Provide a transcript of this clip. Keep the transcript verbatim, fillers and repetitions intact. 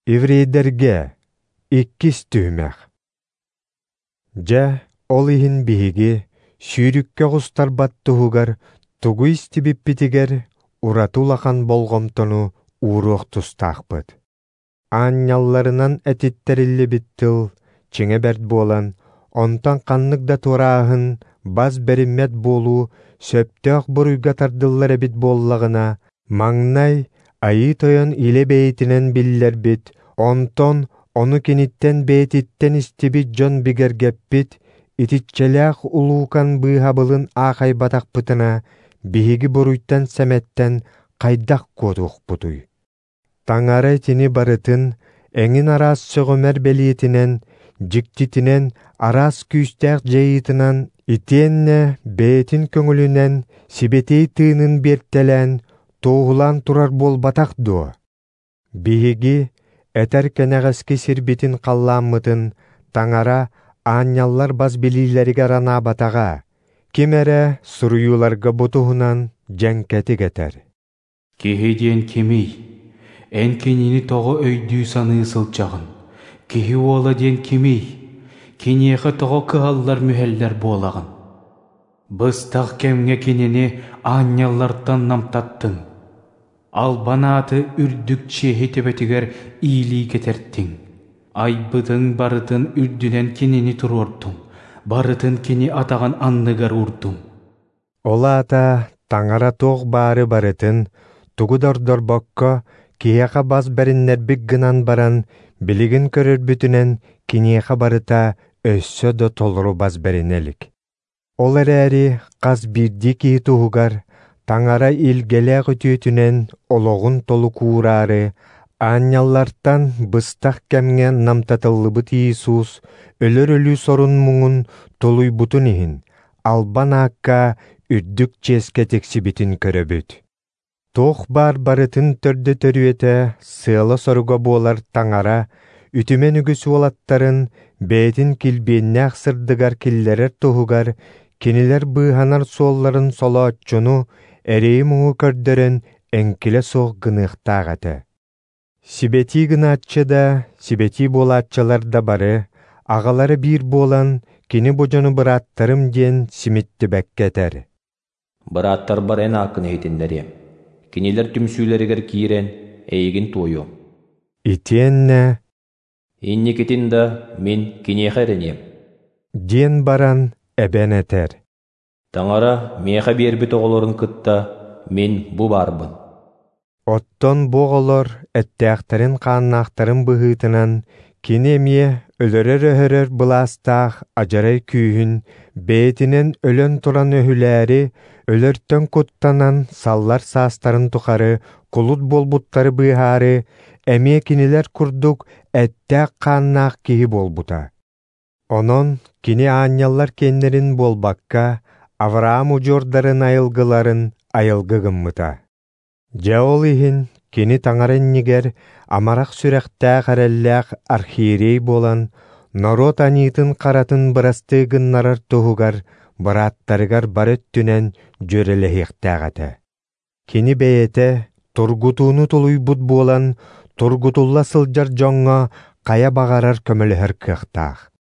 Еврейдэргэ иккис түһүмэх. Дьэ, ол иһин биһиги сүүрүккэ оҕустарбат туһугар тугу истибиппитигэр ураты улахан болҕомтону ууруох тустаахпыт. Аанньалларынан этиттэриллибит тыл чиҥэ бэрт буолан, онтон ханнык да туорааһын, бас бэриммэт буолуу сөптөөх буруйга тардыллар эбит буоллаҕына, маҥнай Айыы Тойон илэ бэйэтинэн биллэрбит, онтон ону киниттэн бэйэтиттэн истибит дьон бигэргэппит итиччэлээх улуукан быыһабылын аахайбатахпытына, биһиги буруйтан-сэмэттэн хайдах куотуохпутуй? Таҥара итини барытын эҥин араас сөҕүмэр бэлиэтинэн, дьиктитинэн, араас күүстээх дьайыытынан итиэннэ бэйэтин көҥүлүнэн сибэтиэй тыынын биэртэлээн, туоһулаан турар буолбатах дуо? Биһиги этэр кэнэҕэски сирбитин халлааммытын Таҥара аанньаллар бас билиилэригэр анаабатаҕа, ким эрэ суруйууларга бу туһунан дьэҥкэтик этэр. Киһи диэн кимий? Эн кинини тоҕо өйдүү-саныы сылдьаҕын? Киһи уола диэн кимий? Киниэхэ тоҕо кыһаллар-мүһэллэр буолаҕын? Быстах кэмҥэ кинини аанньаллартан намтаттыҥ, албан ааты үрдүк чиэһи төбөтүгэр иилии кэтэртиҥ. Айбытыҥ барытын үрдүнэн кинини туруордуҥ, барытын кини атаҕын анныгар уурдуҥ. Ол аата Таҥара туох баары барытын, тугу да ордорбокко, киһиэхэ бас бэриннэрбит гынан баран, билигин көрөрбүтүнэн киниэхэ барыта өссө да толору бас бэринэ илик. Ол эрээри хас биирдии киһи туһугар Таҥара илгэлээх үтүөтүнэн олоҕун толук уураары, аанньаллартан быстах кэмҥэ намтатыллыбыт Иисус өлөр өлүү сорун муҥун тулуйбутун иһин, албан аакка үрдүк чиэскэ тиксибитин көрөбүт. Туох баар барытын төрдө төрүөтэ, сыала-соруга буолар Таҥара үтүмэн үгүс уолаттарын бэйэтин килбиэннээх сырдыгар киллэрэр туһугар кинилэр быыһанар суолларын солооччуну эрэйи-муҥу көрдөрөн эҥкилэ суох гыныахтаах этэ. Сибэтии гынааччы да, сибэтии буолааччылар да бары, аҕалара биир буолан, кини бу дьону бырааттарым диэн симиттибэккэ этэр. Бырааттарбар эн ааккын иһитиннэриэм, кинилэр түмсүүлэригэр киирэн эйигин туойуом. Итиэннэ Инникитин да мин киниэхэ эрэниэм. Диэн баран эбэн этэр. Таҥара миэхэ биэрбит оҕолорун кытта мин бу баарбын. Оттон бу оҕолор эттээхтэрин-хааннаахтарын быһыытынан кини эмиэ өлөрөр-өһөрөр былаастаах адьарай күүһүн бэйэтинэн өлөн туран өһүлээри, өлөртөн куттанан саллар саастарын тухары кулут буолбуттары быыһаары, эмиэ кинилэр курдук эттээх-хааннаах киһи буолбута. Онон кини аанньаллар киэннэрин буолбакка, Авраам удьуордарын айылгыларын айылгы гыммыта. Дьэ ол иһин кини Таҥара иннигэр амарах сүрэхтээх эрэллээх архиерей буолан, норуот аньыытын-харатын бырастыы гыннарар туһугар бырааттарыгар бары өттүнэн дьүөрэлэһиэхтээх этэ. Кини бэйэтэ тургутууну тулуйбут буолан, тургутулла сылдьар дьоҥҥо хайа баҕарар көмөлөһөр кыахтаах.